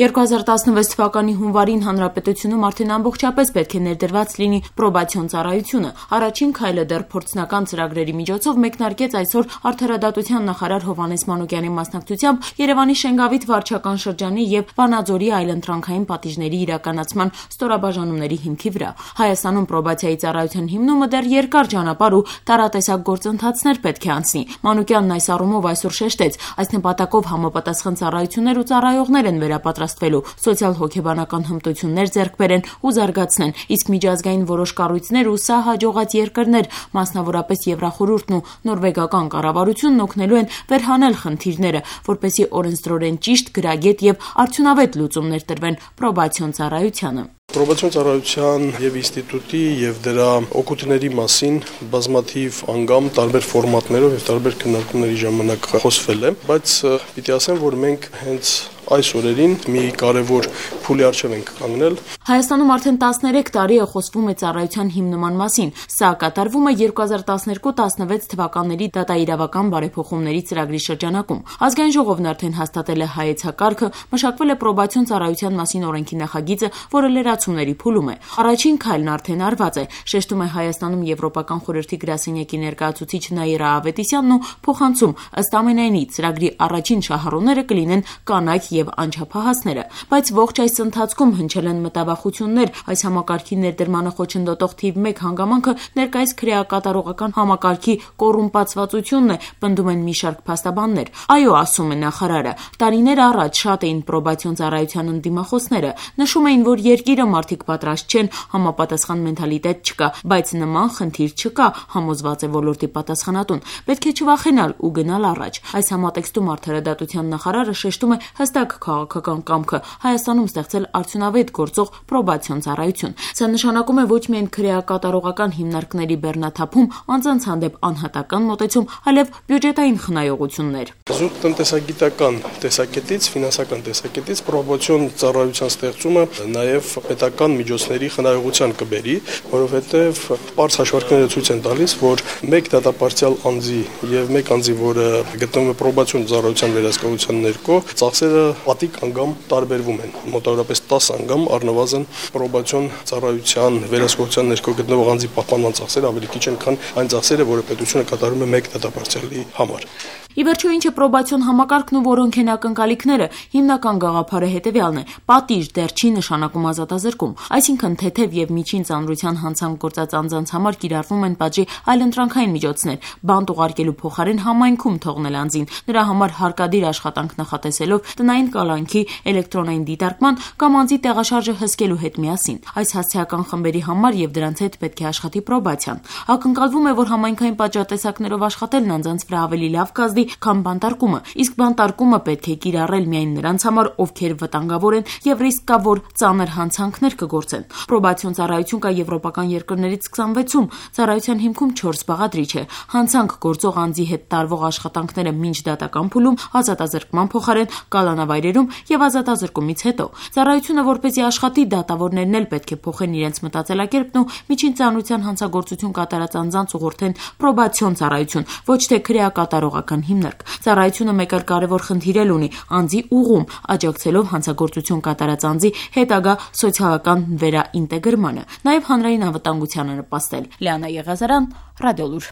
2016 թվականի հունվարին հանրապետությունում արդեն ամբողջապես պետք է ներդրված լինի պրոբացիոն ծառայությունը։ Առաջին քայլը դեռ փորձնական ծրագրերի միջոցով մեկնարկեց այսօր Արդարադատության նախարար Հովհաննես Մանուկյանի մասնակցությամբ Երևանի Շենգավիթ վարչական շրջանի եւ Վանաձորի այլընտրանքային պատիժների իրականացման ստորաբաժանումների հիմքի վրա։ Հայաստանում պրոբացիայի ծառայության հիմնումը դեռ երկար ճանապարհ ու տարատեսակ գործընթացներ պետք է անցնի։ Մանուկյանն այս առումով այսօր շեշտեց, այս նպատակով համապատասխան ծառայություններ ու ծառայողներ են վերապատրաստվելու, սոցիալ-հոգեբանական հմտություններ ձեռք բերեն ու զարգացնեն, իսկ միջազգային որոշ կառույցներ ու սա հաջողած երկրներ, մասնավորապես Եվրախորհուրդն ու նորվեգական կառավարությունն օգնելու են վերհանել խնդիրները, որպեսզի օրենսդրորեն ճիշտ, գրագետ եւ արդյունավետ լուծումներ տրվեն պրոբացիոն ծառայությանը։ Պրոբացիոն ծառայության եւ ինստիտուտի եւ դրա օգուտների մասին բազմաթիվ անգամ տարբեր ֆորմատներով եւ տարբեր քննարկումների ժամանակ խոսվել է, բայց պիտի ասեմ, որ մենք հենց այս օրերին մի կարևոր փուլի առջև ենք կանգնել։ Հայաստանում արդեն 13 տարի է խոսվում է ծառայության հիմնման մասին։ Սա կատարվում է 2012-16 թվականների դատաիրավական բարեփոխումների ծրագրի շրջանակում։ Ազգային ժողովն արդեն հաստատել է հայեցակարգը, մշակվել է պրոբացիոն ծառայության մասին օրենքի նախագիծը, որը լրացումների փուլում է։ Առաջին քայլն արդեն արված է, շեշտում է Հայաստանում Եվրոպական խորհրդի գրասենյակի ներկայացուցիչ Նաիրա Ավետիսյանն ու փոխանցում, ըստ ամենայնի ծրագրի առաջին շահառուները կլինեն կանայք եւ անչափահասները, բայց ողջ այս ընթացքում հնչել են մտավախություններ։ Այս համակարգի ներդրմանը խոչընդոտող թիվ 1 հանգամանքը ներկայիս քրեակատարողական համակարգի կոռումպացվածությունն է, պնդում են մի շարք փաստաբաններ։ Այո, ասում է նախարարը, տարիներ առաջ շատ էին պրոբացիոն ծառայության ընդդիմախոսները, նշում էին, որ երկիրը մարդիկ պատրաստ չեն, համապատասխան մենթալիտետ չկա, բայց նման խնդիր չկա, համոզված է ոլորտի պատասխանատուն։ Պետք է չվախենալ ու գնալ առաջ։ Այս համատեքստում Արդարադատության նախարարը շեշտում է հստակ քաղաքական կամքը Հայաստանում ստեղծել արդյունավետ գործող պրոբացիոն ծառայություն։ Սա նշանակում է ոչ միայն քրեակատարողական հիմնարկների բեռնաթափում, անձանց հանդեպ անհատական մոտեցում, այլև բյուջետային խնայողություններ։ Զուտ տնտեսագիտական տեսակետից, ֆինանսական տեսակետից պրոբացիոն ծառայության ստեղծումը նաև պետական միջոցների խնայողության կբերի, որովհետև պարզ հաշվարկները ցույց են տալիս, որ մեկ դատապարտյալ անձի եւ մեկ անձի, որը գտնվում է պրոբացիոն ծառայության վերահսկողության ներքո, ծախսերը պատիկ անգամ տարբերվում են, մոտավորապես 10 անգամ առնվազն պրոբացիոն ծառայության վերահսկողության ներքո գտնվող անձի պահպանման ծախսերը ավելի քիչ են, քան այն ծախսերը, որը պետությունը կատարում է մեկ դատապարտյալի համար։ Ի վերջո ինչ է պրոբացիոն համակարգն ու որոնք են ակնկալիքները, հիմնական գաղափարը հետևյալն է. պատիժ դեռ չի նշանակում ազատազրկում, այսինքն թեթև եւ միջին ծանրության հանցանք գործած անձանց համար կիրառվում են պատժի այլընտրանքային միջոցներ, բանտ ուղարկելու փոխարեն համայնքում թողնել անձին, նրա համար հարկադիր աշխատանք նախատեսելով տնային կալանքի, էլեկտրոնային դիտարկման կամ անձի տեղաշարժը հսկելու հետ միասին։ Այս հասցեական խմբերի համար եւ դրանց հետ պետք է աշխատի պրոբացիան։ Ակնկալվում է, որ համայնքային պատժատեսակներով աշխատելն անձանց վրա ավելի լավ կազդի, քան բանտարկումը, իսկ բանտարկումը պետք է կիրառել միայն նրանց համար, ովքեր վտանգավոր են եւ ռիսկավոր ծանր հանցանքներ կգործեն։ Պրոբացիոն ծառայություն կա եվրոպական երկրներից 26-ում, ծառայության հիմքում 4 բաղադրիչ է։ Հանցանք գործող անձի հետ տարվող աշխատանքները մինչ դատական փուլում, ազատազրկման փոխարեն կալանավայրերում եւ ազատազրկումից հետո։ Ծառայությունը որպեսզի աշխատի, դատավորներն էլ պետք է փոխեն իրենց մտածելակերպն ու միջին ծանրության հանցագործություն կատարած անձանց ուղղորդեն պրոբացիոն ծառայություն, ոչ թե քրեակատարողական հիմնարկ։ Ծառայությունը մեկ այլ կարևոր խնդիր էլ ունի՝ անձի ուղում, աջակցելով հանցագործություն կատարած անձի հետագա սոցիալական վերաինտեգրմանը, նաև հանրային անվտանգությանը նպաստել։ Լիանա Եղազարյան, Ռադիոլուր։